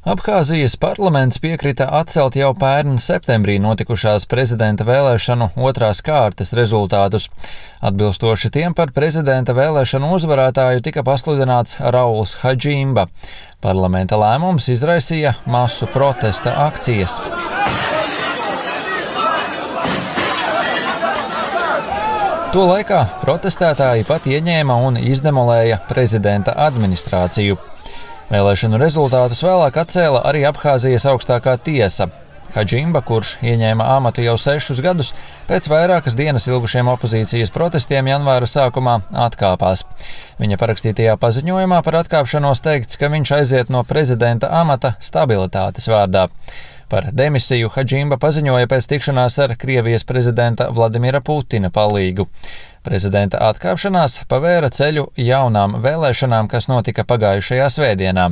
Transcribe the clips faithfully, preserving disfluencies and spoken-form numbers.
Abhāzijas parlaments piekrita atcelt jau pērn septembrī notikušās prezidenta vēlēšanu otrās kārtas rezultātus. Atbilstoši tiem par prezidenta vēlēšanu uzvarētāju tika pasludināts Rauls Hadžimba. Parlamenta lēmums izraisīja masu protesta akcijas. To laikā protestētāji pat ieņēma un izdemolēja prezidenta administrāciju. Vēlēšanu rezultātus vēlāk atcēla arī Abhāzijas augstākā tiesa. Hadžimba, kurš ieņēma amatu jau sešus gadus, pēc vairākas dienas ilgušiem opozīcijas protestiem janvāra sākumā atkāpās. Viņa parakstītajā paziņojumā par atkāpšanos teikts, ka viņš aiziet no prezidenta amata stabilitātes vārdā. Par demisiju Hadžimba paziņoja pēc tikšanās ar Krievijas prezidenta Vladimira Putina palīgu. Prezidenta atkāpšanās pavēra ceļu jaunām vēlēšanām, kas notika pagājušajā svētdienā.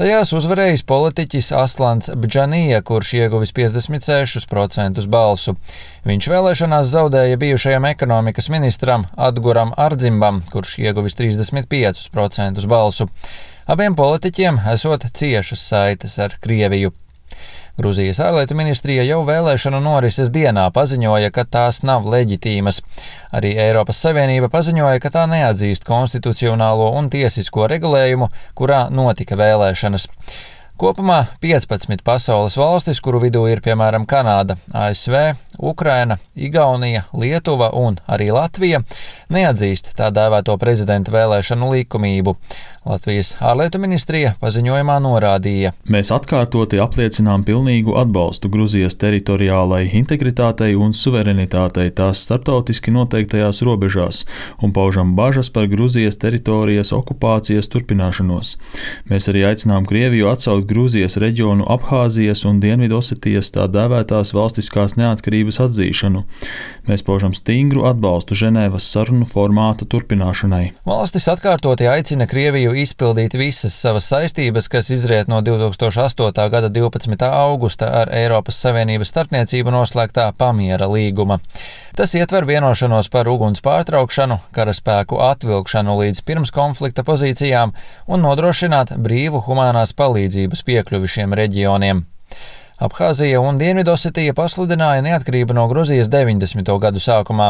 Tajās uzvarējis politiķis Aslans Bdžanija, kurš ieguvis piecdesmit sešus procentus balsu. Viņš vēlēšanās zaudēja bijušajam ekonomikas ministram Adguram Ardzimbam, kurš ieguvis trīsdesmit piecus procentus balsu. Abiem politiķiem esot ciešas saites ar Krieviju. Gruzijas ārlietu ministrija jau vēlēšanu norises dienā paziņoja, ka tās nav leģitīmas. Arī Eiropas Savienība paziņoja, ka tā neatzīst konstitucionālo un tiesisko regulējumu, kurā notika vēlēšanas. Kopumā piecpadsmit pasaules valstis, kuru vidū ir piemēram Kanāda, A S V, Ukraina, Igaunija, Lietuva un arī Latvija, neatzīst tā dēvēto prezidenta vēlēšanu likumību. Latvijas ārlietu ministrija paziņojumā norādīja: Mēs atkārtoti apliecinām pilnīgu atbalstu Gruzijas teritoriālai integritātei un suverenitātei tās starptautiski noteiktajās robežās un paužam bažas par Gruzijas teritorijas okupācijas turpināšanos. Mēs arī aicinām Krieviju atsaukt Gruzijas reģionu Abhāzijas un Dienvidosetijas tā dēvētās valstiskās neatkarības atzīšanu. Mēs paužam stingru atbalstu Ženēvas sarunu formāta turpināšanai. Valstis atkārtoti aicina Krieviju izpildīt visas savas saistības, kas izriet no divs tūkstoši astotā gada divpadsmitā augusta ar Eiropas Savienības starpniecību noslēgtā pamiera līguma. Tas ietver vienošanos par uguns pārtraukšanu, karaspēku atvilkšanu līdz pirms konflikta pozīcijām un nodrošināt brīvu humānās palīdzības piekļuvi šiem reģioniem. Abhāzija un Dienvidosetija pasludināja neatkarību no Gruzijas deviņdesmito gadu sākumā,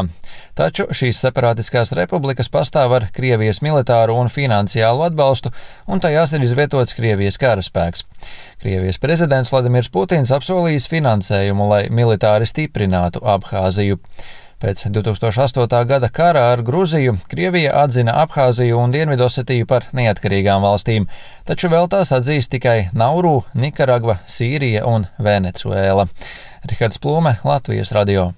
taču šīs separātiskās republikas pastāv ar Krievijas militāru un finansiālu atbalstu, un tajās ir izvietots Krievijas karaspēks. Krievijas prezidents Vladimirs Putins apsolījis finansējumu, lai militāri stiprinātu Abhāziju. Pēc divs tūkstoši astotā gada kara ar Gruziju Krievija atzina Abhāziju un Dienvidosetiju par neatkarīgām valstīm, taču vēl tās atzīst tikai Nauru, Nikaragva, Sīrija un Venecuēla. Rihards Plūme, Latvijas radio.